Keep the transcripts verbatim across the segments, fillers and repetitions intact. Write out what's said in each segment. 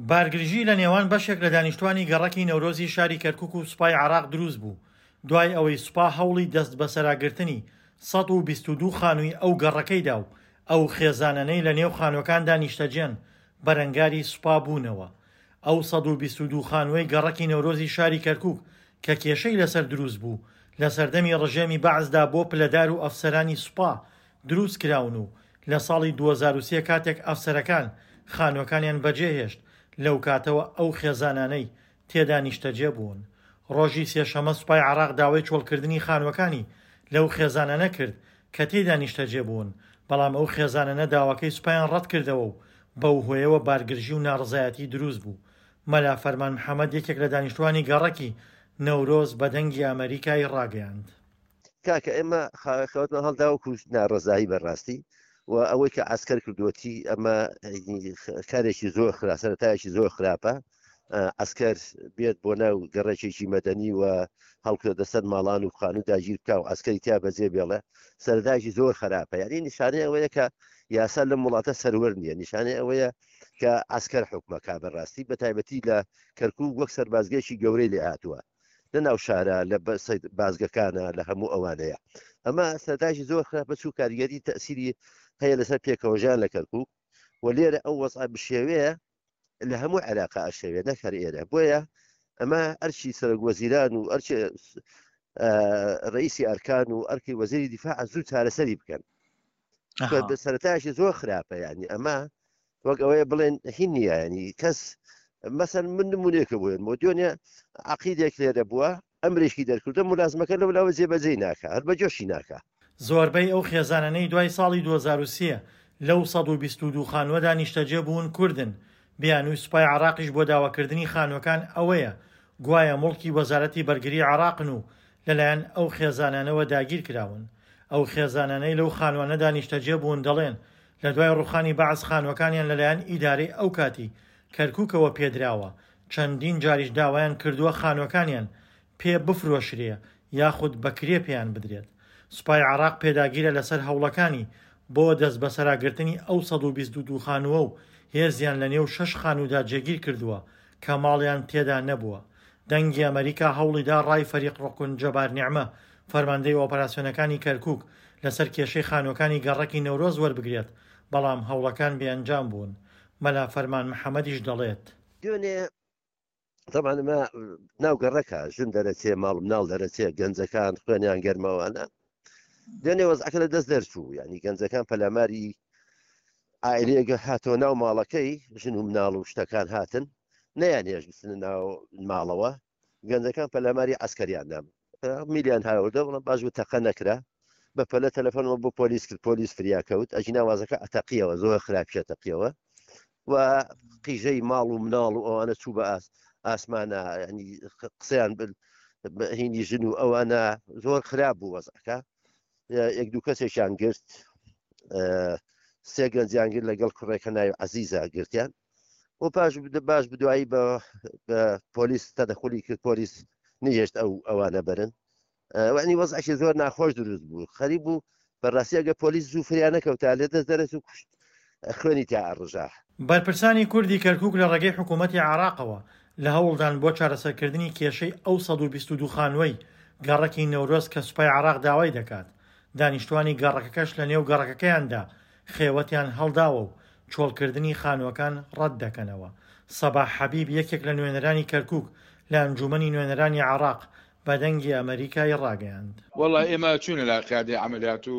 بارگرژی لە نێوان بەشێک لە دانیشتوانی گەڕەکی نەورۆزی شاری کەرکوک و سوپای عێراق دروست بوو، دوای ئەوەی سوپا هەوڵی دەست بەسەراگرتنی سەد و بیست و دوو خانووی ئەو گەڕەکەی دا و ئەو خێزانانەی لە نێو خانووەکاندا نیشتەجێن بەرەنگاری سوپا بوونەوە. ئەو سەد و بیست و دوو خانووەی گەڕەکی نەورۆزی شاری کەرکوک کە کێشەی لەسەر دروست بوو، لە سەردەمی ڕژێمی بەعسدا بۆ پلەدار و ئەفسەرانی سوپا دروست کراون و لە ساڵی دوو هەزار و سێ کاتێک ئەفسەرەکان خانووەکانیان بەجێهێشت، لەو کاتەوە ئەو خێزانانەی تێدا نیشتەجێ بوون. ڕۆژی سێشەممە سوپای عێراق داوای چۆڵکردنی خانووەکانی لەو خێزانانە کرد کە تێیدا نیشتەجێ بوون، بەڵام ئەو خێزانانە داواکەی سوپایان ڕەتکردەوە و بەو هۆیەوە بارگرژی و ناڕەزایەتی دروست بوو. مەلا فەرمان محەمەد یەکێک لە دانیشتوانی گەڕەکی نەورۆز بە دەنگی ئەمەریکای ڕاگەیاند. کاکە ئێمە خەوتمان هەڵدا وەکو ناڕەزایی بەڕاستی و ئەوەی کە عسکەر کردووەتی ئەمە کارێکی زۆر خرا سەرەتایەکی زۆر خراپە. عسکەر بێت بۆ ناو گەڕێکێکی مەدەنی و هەڵکردە سەر ماڵان و خانوو داگیر بکا و عسکەری تیا بەجێ بێڵێ، سەرەتایەکی زۆر خراپە. یعنی نیشانەی ئەوەیە کە یاسا لەم وڵاتە سەروەر نییە، نیشانەی ئەوەیە کە عسکەر حکومەکە بەڕاستی بە تایبەتی لە کەرکوک وەک سەربازگەیەکی گەورەی لێ هاتووە لە ناو شارە، لە بازگەکانە، لە هەموو ئەوانەیە. ئەمە سەرەتایەکی زۆر خراپە، چوو کاریگەری تەسیری هەیە لەسەر پێکەوەژیان لە کەرکوک و لێرە ئەو وەزعە بشێوەیە لە هەموو عێراقا ئەشێوێ نەک هەر ئێرە. بۆیە ئەمە ئەرچی سەرۆک وەزیران و ئەرچی ڕئیسی ئەرکان و ئەرکی وەزیری دیفاع زوو چارەسەری بکەن. سەرەتایەکی زۆر خراپە. یعنی ئەمە وەک ئەوەیە بڵێن هین نییە، ینی کەس مەسەن من نمونەیەکە بۆیە مۆدیۆنیە عەقیدێک لێرە بووە، ئەمرێکی دەرکردە ملازمەکە لەو لاوە جێبەجێی ناکا، هەر بە جۆشی ناکا. زۆربەی ئەو خێزانانەی دوای ساڵی دوو هەزار و سێ لەو سەد و بیست و دوو خانووەدا نیشتەجێ بوون کوردن. بیانووی سوپای عێراقیش بۆ داواکردنی خانووەکان ئەوەیە گوایە موڵکی وەزارەتی بەرگری عێراقن و لەلایەن ئەو خێزانانەوە داگیر کراون. ئەو خێزانانەی لەو خانوانەدا نیشتەجێ بوون دەڵێن لە دوای ڕوخانی بەعس خانووەکانیان لەلایەن ئیدارەی ئەو کاتی کەرکوکەوە پێدراوە، چەندین جاریش داوایان کردووە خانووەکانیان پێ بفرۆشرێ یاخود بەکرێ پێیان بدرێت. سوپای عێراق پێداگیرە لەسەر هەوڵەکانی بۆ دەست بەسەراگرتنی ئەو سەد و بیست و دوو خانووە و هێزیان لە نێو شەش خانوودا جێگیر کردووە کە ماڵیان تێدا نەبووە. دەنگی ئەمەریکا هەوڵیدا ڕای فەریق ڕوکن جەبار نیعمە، فەرماندەی ئۆپەراسیۆنەکانی کەرکوک، لەسەر کێشەی خانووەکانی گەڕەکی نەورۆز وەربگرێت، بەڵام هەوڵەکان بێئەنجام بوون. مەلا فەرمان محەمەدیش دەڵێت: دوێنێ طبعا ئەمە ناو گەڕەکە، ژن دەرەچێ، ماڵ مناڵ دەرەچێ، گەنجەکان خوێنیان گەرمەوانە. دوێنێ وەزعەکە لە دەست دەرچوو، یعنی گەنجەکان پەلاماری عائلەیەک هاتەوە ناو ماڵەکەی، ژن و مناڵ و شتەکان هاتن، نەیان هێشت بچنە ناو ماڵەوە. گەنجەکان پەلاماری عسکەریان دام، میلیان هاوردە، بەڵام باش بوو تەقە نەکرا. بە پەلە تەلەفۆنەوە بۆ پۆلیس کرد، پۆلیس فریا کەوت. ئەجینا وازەکە ئەتەقیەوە، زۆر خراپیە تەقیەوە و قیژەی ماڵ و مناڵ و ئەوانە چوو بە ئاسمانە، ینی قسەیان هینی ژن و ئەوانە زۆر خراپ بوو وەزعەکە. یەک دوو کەسێکیان گرت، سێ گەنجیان گرت لەگەڵ کوڕێکە ناوی عەزیزە گرتیان و پاش باش بدوایی بە پۆلیس تەدەخولی کرد، پۆلیس نەهێشت ئەو ئەوانە بەرن. وعنی وەزعێکی زۆر ناخۆش دروست بوو، خەریب بوو بەڕاستی ئەگە پۆلیس زوو فریا نەکەوتا لێ دەست دەرەچ و کوشت خوێنی تیا ئەڕژا. بەرپرسانی کوردی کەرکوک لە ڕێگەی حکوومەتی عێراقەوە لە هەوڵدان بۆ چارەسەرکردنی کێشەی ئەو سەد و بیست و دوو خانووەی گەڕەکی نەورۆز کە سوپای عێراق داوای دەکات. دانیشتوانی گەڕەکەکەش لە نێو گەڕەکەکەیاندا خێوەتیان هەڵداوە و چۆڵکردنی خانووەکان ڕەت دەکەنەوە. سەباح حەبیب یەکێک لە نوێنەرانی کەرکوک لە ئەنجومەنی نوێنەرانی عێراق بە دەنگی ئەمەریکای ڕاگەیاند. وەڵا ئێمە چوونە لای قیادەی عەمەلیات و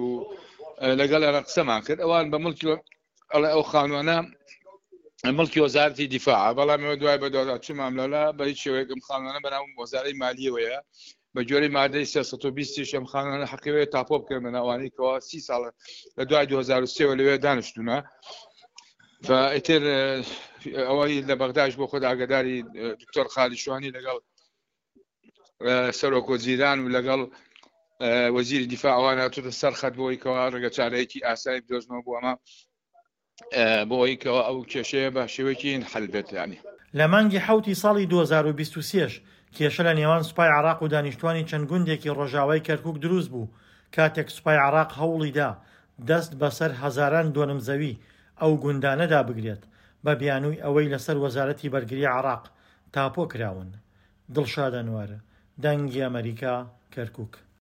لەگەڵ ئێرە قسەمان کرد. ئەوان بە مڵکی ئەڵێ ئەو خانوانە مڵکی وەزارەتی دیفاعە، بەڵام ئێمە دوای بەدوادا چوومان لەولا بە هیچ شێوەیەک ئەم خانوانە بەناو وەزارەی مالیەوەیە. بە جۆرەی مادەی سێ سەد و بیست ئەم خانوانە حەقیەوەیە تاپۆ بکەن بە ناوانەی کەوا سی ساڵە لە دوای دوو هەزار و سێوە لەوێ دانیشتوونە. فئیتر ئەوەی لە بەغداش بۆ خۆت ئاگاداری دکتۆر خالی شوانی لەگەڵ سەرۆک وەزیران و لەگەڵ وەزیری دیفاع ئەوان هاتووتە سەر خەت بۆ ئەوەی کەوا ڕێگە چارەیەکی ئاسایی بدۆزنەوە بۆ ئەمە، بۆ ئەوەی کەوا ئەو کێشەیە بە شێوەیەکی حەل بێت. ینی لە مانگی حەوتی ساڵی دوو هەزار و بیست و سێش کێشە لە نێوان سوپای عێراق و دانیشتوانی چەند گوندێکی ڕۆژاوای کەرکوک دروست بوو، کاتێک سوپای عێراق هەوڵیدا دەست بەسەر هەزاران دۆنم زەوی ئەو گوندانەدا بگرێت، بە بیانووی ئەوەی لەسەر وەزارەتی بەرگری عێراق تاپۆ کراون. دڵشاد ئەنوەر، دەنگی ئەمەریکا، کەرکوک.